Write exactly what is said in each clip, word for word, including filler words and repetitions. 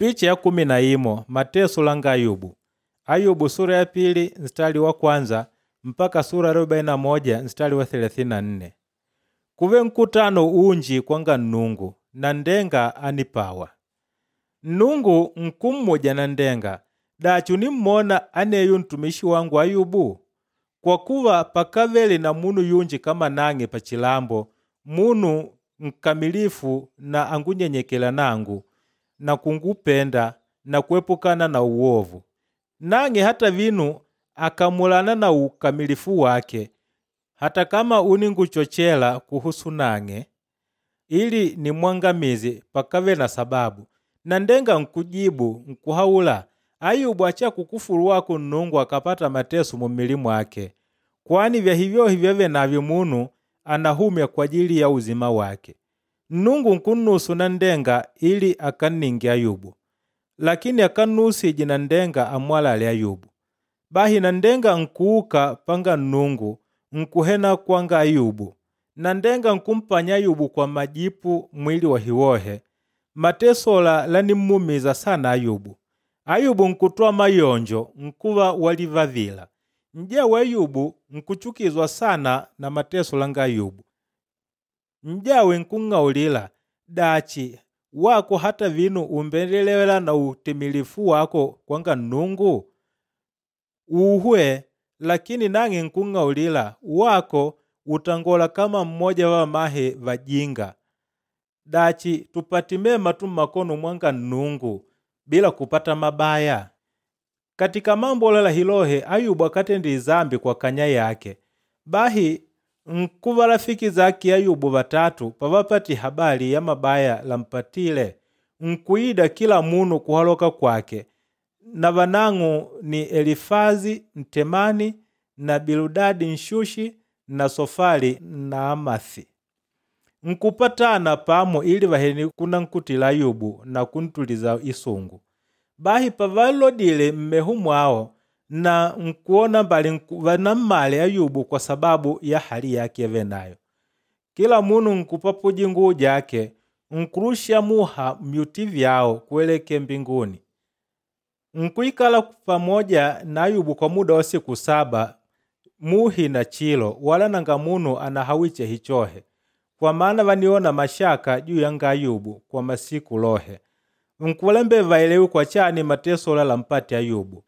Picha ya kumi na imo mateso langa Ayubu. Ayubu sura ya pili mstari wa kwanza mpaka sura ya arobaini na moja mstari wa thelathini na nne. Kuve nkutano unji kwanga Nnungu na ndenga anipawa. Nnungu nkummuja na ndenga, dachi unimmona aneyo ntumishi wangu Ayubu? Kwa kuva pakavele na munu yunji kama nang'e pachilambo, munu nkamilifu na angunyenyekela nangu na kungupenda na kuepukana na uovu. Nang'e hata vinu akamulana na ukamilifu wake, hata kama uninguchochela kuhusu nang'e ili nimwangamize pakave na sababu. Na ndenga nkujibu nkuhaula, Ayubu acha kukufuru wako Nnungu akapata mateso mumili mwake, kwani vya hivyohi vyave navyo munu anahumya kwa ajili ya uzima wake. Nnungu nkunnusu na ndenga ili akanninge Ayubu, lakini akannusije na ndenga amwalale Ayubu. Bahi na ndenga nkuuka panga Nnungu nkuhena kwanga Ayubu, na ndenga nkumpanya Ayubu kwa majipu mwili wa hiwohe. Matesola lanimmumiza sana Ayubu. Ayubu nkutwa mayonjo nkuva walivavila. Njawe Ayubu nkuchukizwa sana na mateso langa Ayubu. Njawe nkung'aulila, dachi wako hata vinu umbendelewela na utimilifu wako kwanga Nnungu? Uhwe, lakini nang'e nkung'aulila wako utangola kama mmoja wa mahe vajinga. Dachi tupati mema tu mmakono mwanga Nnungu bila kupata mabaya? Katika mambo lala hilohe Ayubu akatenda izambi kwa kanya yake. Bahi nkuva rafiki zake Ayubu vatatu pavapati habari ya mabaya lampatile, nkuida kila munu kuhaloka kwake, na vanang'u ni Elifazi Mtemani na Biludadi Nshushi na Sofali na Amathi. Nkupatana pamo ili vaheni kunankutila Ayubu na kuntuliza isungu. Bahi pavalodile mmehu mwao na nkuona mbali vanammale Ayubu kwa sababu ya hali yake yavenayo. Kila munu nkupapuji nguu jake nkurusha muha myuti vyao kueleke mbinguni. Nkuikala pamoja na Ayubu kwa muda wa siku saba muhi na chilo, wala nanga munu anahawiche hichohe, kwa maana vaniona mashaka juu yanga Ayubu kwa masiku lohe. Nkulembe vaelewi kwa chani mateso la lampati Ayubu.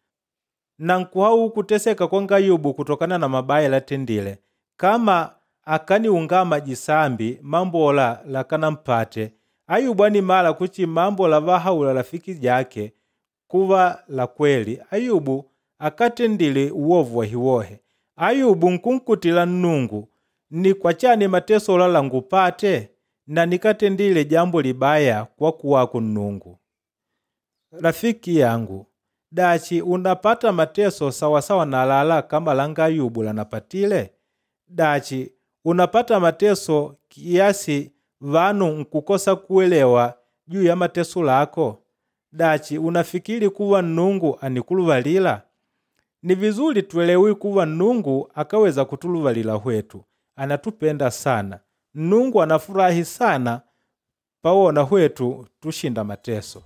Na nkuhau kuteseka kwanga Ayubu kutokana na mabaya latendile, kama akaniungama jisambi mambola lakanampate. Ayubu animala kuchi mambo lavahaula rafiki jake kuva la kweli. Ayubu akatendile uovu wa hiwohe. Ayubu nkunkutila Nnungu, ni kwa chani mateso la langupate na nikatendile jambo libaya kwa kuwako Nnungu. Rafiki yangu, dachi unapata mateso sawasawa na lala kama langa Ayubu lanapatile? Dachi unapata mateso kiasi vanu nkukosa kuelewa juu ya mateso lako? Dachi unafikiri kuwa Nnungu anikuluvalila? Ni vizuri tuelewi kuwa Nnungu akaweza kutuluvalila hwetu. Anatupenda sana. Nnungu anafurahi sana pawona hwetu tushinda mateso.